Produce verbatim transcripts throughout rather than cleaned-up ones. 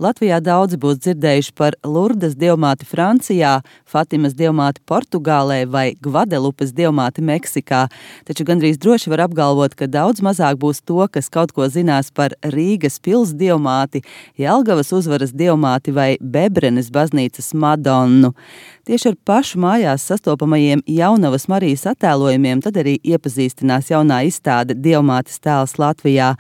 Latvijā daudzi būs dzirdējuši par Lurdes dievmāti Francijā, Fatimas dievmāti Portugālē vai Gvadelupes dievmāti Meksikā, taču gandrīz droši var apgalvot, ka daudz mazāk būs to, kas kaut ko zinās par Rīgas pils dievmāti, Jelgavas uzvaras dievmāti vai Bebrenes baznīcas Madonnu. Tieši ar pašu mājās sastopamajiem Jaunavas Marijas attēlojumiem tad arī iepazīstinās jaunā izstāde Dievmātes tēls Latvijā.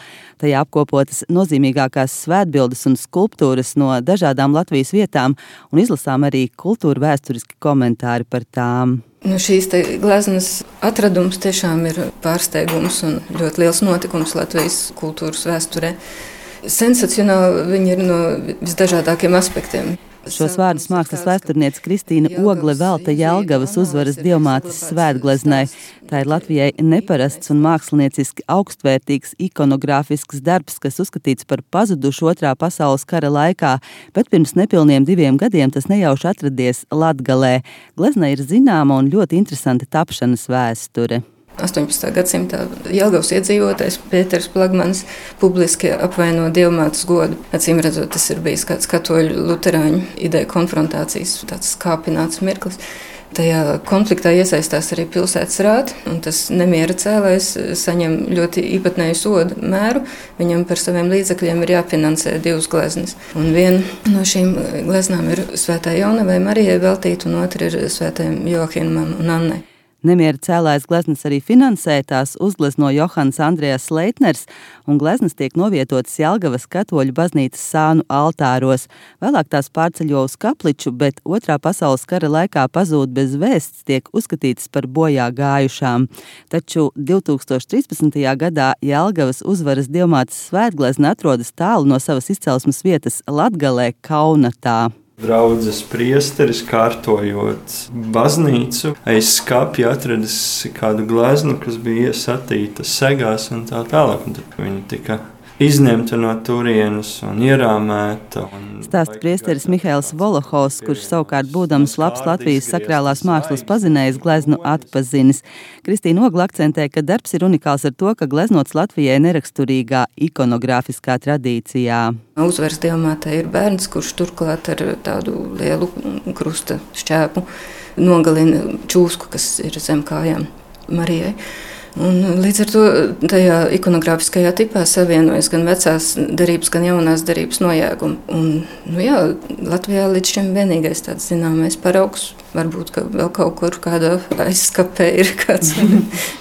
Tajā apkopotas nozīmīgākās svētbildes un skulptūras no dažādām Latvijas vietām un izlasām arī kultūra vēsturiski komentāri par tām. Nu, šīs gleznas atradums tiešām ir pārsteigums un ļoti liels notikums Latvijas kultūras vēsturē. Sensacionāli viņi ir no visdažādākiem aspektiem. Šos vārdus mākslas vēsturniece Kristīna Ogle velta Jelgavas uzvaras dievmātes svētgleznai. Tā ir Latvijai neparasts un mākslinieciski augstvērtīgs ikonogrāfisks darbs, kas uzskatīts par pazudušu otrā pasaules kara laikā, bet pirms nepilniem diviem gadiem tas nejauši atradies Latgalē. Gleznai ir zināma un ļoti interesanta tapšanas vēsture. astoņpadsmitā gadsimtā Jelgavas iedzīvotājs Pēters Plagmanis publiski apvaino dievmātes godu. Acīm redzot, tas ir bijis kāds katoļu luterāņu ideja konfrontācijas, tāds skāpināts mirklis. Tajā konfliktā iesaistās arī pilsētas rāti, un tas nemiera cēlājs saņem ļoti īpatnēju sodu mēru. Viņam par saviem līdzekļiem ir jāfinansē divas gleznas. Un viena no šīm gleznām ir Svētā Jaunavai Marijai veltīta, un otra ir Svētajam Joahimam un Annai. Nemiera cēlājas gleznas arī finansē, tās uzglezno Johans Andrejas Leitners, un gleznas tiek novietotas Jelgavas katoļu baznīcas sānu altāros. Vēlāk tās pārceļo uz Kapliču, bet otrā pasaules kara laikā pazūd bez vēsts, tiek uzskatītas par bojā gājušām. Taču divtūkstoš trīspadsmitajā gadā Jelgavas uzvaras dievmātes svētglezna atrodas tālu no savas izcelsmes vietas Latgalē, Kaunatā. Draudzes priesteris, kārtojot baznīcu, aiz skapja atradis kādu gleznu, kas bija iesatīta segās un tā tālāk. Un tad viņa tika izņemta no turienes un ierāmēta. Un Stāsta priesteris Mihails Volohovs, kurš savukārt būdams labs Latvijas sakrālās mākslas pazinējs gleznu atpazinis. Kristīna Ogle akcentē, ka darbs ir unikāls ar to, ka gleznots Latvijai neraksturīgā ikonogrāfiskā tradīcijā. Uzvaras dievmātei ir bērns, kurš turklāt ar tādu lielu krusta šķēpu nogalina čūsku, kas ir zem kājām Marijai. Un līdz ar to tajā ikonogrāfiskajā tipā savienojas gan vecās derības, gan jaunās derības nojēgumi. Un, nu jā, Latvijā līdz šim vienīgais tāds zināmais paraugs, varbūt ka vēl kaut kur kādā aizskapē ir kāds,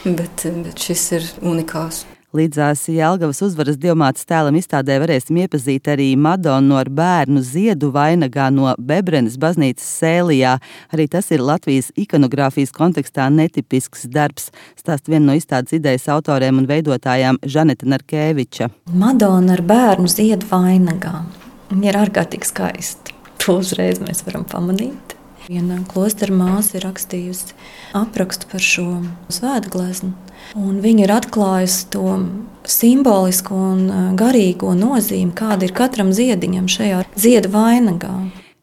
bet, bet šis ir unikāls. Līdzās Jelgavas uzvaras dievmātes tēlam izstādē varēsim iepazīt arī Madonnu ar bērnu ziedu vainagā no Bebrenes baznīcas Sēlijā. Arī tas ir Latvijas ikonogrāfijas kontekstā netipisks darbs, stāst viena no izstādes idejas autoriem un veidotājām Žaneta Narkēviča. Madonna ar bērnu ziedu vainagā. Viņa ir ārkārtīgi skaista. To uzreiz mēs varam pamanīt. Viena klostera māsa ir rakstījusi aprakstu par šo svētgleznu, un viņa ir atklājusi to simbolisko un garīgo nozīmi, kāda ir katram ziediņam šajā ziedu vainagā.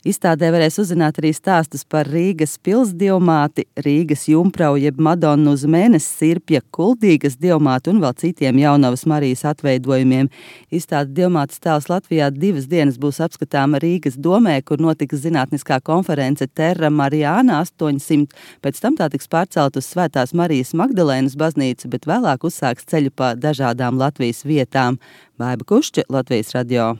Izstādē varēs uzzināt arī stāstus par Rīgas pils dievmāti, Rīgas jumprau jeb Madonnu uz mēnesi sirpja, Kuldīgas dievmāti un vēl citiem Jaunavas Marijas atveidojumiem. Izstāde Dievmātes tēls Latvijā divas dienas būs apskatāma Rīgas domē, kur notiks zinātniskā konference Terra Mariana astoņsimt. Pēc tam tā tiks pārcelt uz Svētās Marijas Magdalēnas baznīcu, bet vēlāk uzsāks ceļu pa dažādām Latvijas vietām. Baiba Kušķe, Latvijas radio.